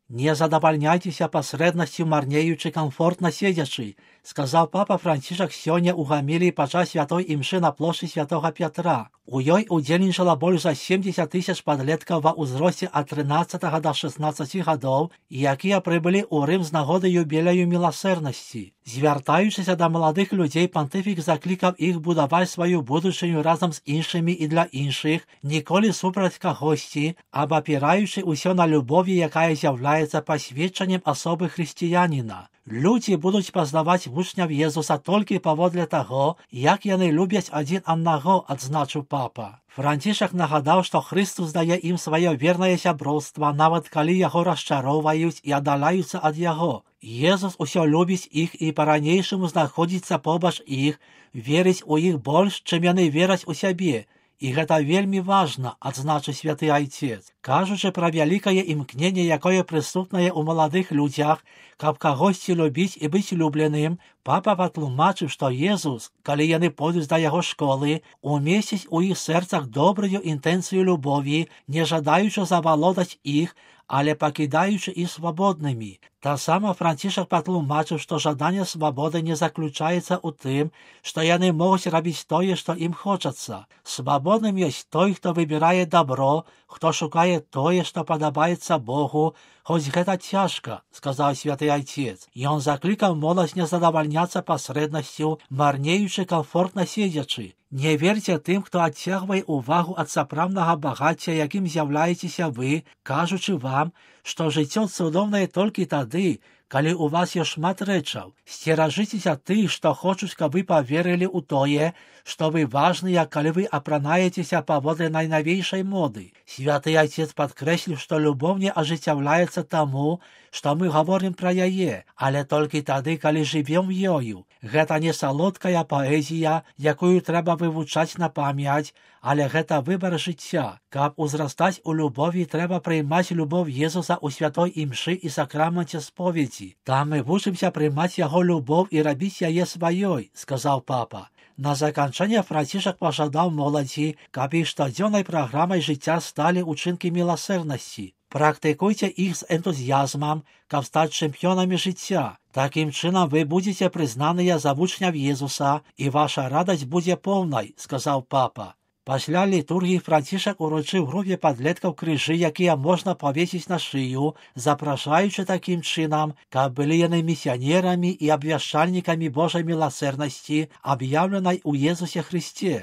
Не задавальняйтеся пасрэднасцю марнеючы камфортна седзячы, сказаў папа Францішак сёння ў гаміліі падчас святой імшы на плошчы святога Пятра. У ёй удзельнічала больш за 70 000 падлеткаў ва ўзросце ад 13 да 16 гадоў, якія прыбылі ў Рым з нагоды юбілею міласэрнасці. Звяртаючыся да маладых людзей, пантыфік заклікаў іх будаваць сваю будучыню разам з іншымі і для іншых, ніколі супраць кагосьці, абапіраючы ўсё на любові, якая з'яўляецца пасведчаннем асобы хрысціяніна. Людзі будуць пазнаваць вучняў Езуса толькі паводле таго, як яны любяць адзін аднаго, адзначыў папа. Францішак нагадаў, што Хрыстус дае ім сваё вернае сяброўства, нават калі яго расчароўваюць і аддаляюцца ад яго. Езус усё любіць іх і па-ранейшаму знаходзіцца побач іх, верыць у іх больш, чым яны вераць у сябе. І гэта вельмі важна, адзначыў святы айцец. Кажучы пра вялікае імкненне, якое прысутнае ў маладых людзях, каб кагосьці любіць і быць любленым, папа патлумачыў, што Езус, калі яны пойдуць да яго школы, умесціць у іх сэрцах добрую інтэнцыю любові, не жадаючы завалодаць іх, але пакідаючы іх свабоднымі. Таксама Францішак патлумачыў, што жаданне свабоды не заключаецца ў тым, што яны могуць рабіць тое, што ім хочацца. Свабодным ёсць той, хто выбірае дабро, хто шукае тое, што падабаецца Богу, хоць гэта цяжка, сказаў святы айцец. Ён заклікаў моладзь не задавальняцца пасрэднасцю, марнеючы камфортна седзячы. Не верце тым, хто адцягвае ўвагу ад сапраўднага багацця, якім з'яўляецеся вы, кажучы вам, што жыццё цудоўнае толькі тады, калі ў вас ёсць шмат рэчаў. Сцеражыцеся тых, што хочуць, каб вы паверылі ў тое, што вы важныя, калі вы апранаецеся паводле найнавейшай моды. Святы айцец падкрэсліў, што любоў не ажыццяўляецца таму, што мы гаворым пра яе, але толькі тады, калі жывем ёю. Гэта не салодкая паэзія, якую трэба вывучаць на памяць, але гэта выбар жыцця. Каб узрастаць у любові, трэба прыймаць любоў Езуса ў святой імшы і сакраменце споведзі. Там мы вучымся прыймаць яго любоў і рабіць яе сваёй, сказаў папа. На заканчэнне Францішак пажадаў моладзі, каб іх штодзённай праграмай жыцця сталі ўчынкі міласэрнасці. Практыкуйце іх з энтузіязмам, каб стаць чэмпіёнамі жыцця. Такім чынам вы будзеце прызнаныя за вучняў Езуса, і ваша радасць будзе поўнай, сказаў папа. Пасля літургіі Францішак уручыў групе падлеткаў крыжы, якія можна павесіць на шыю, запрашаючы такім чынам, каб былі яны місіянерамі і абвяшчальнікамі Божай міласэрнасці, аб'яўленай у Езусе Хрысце.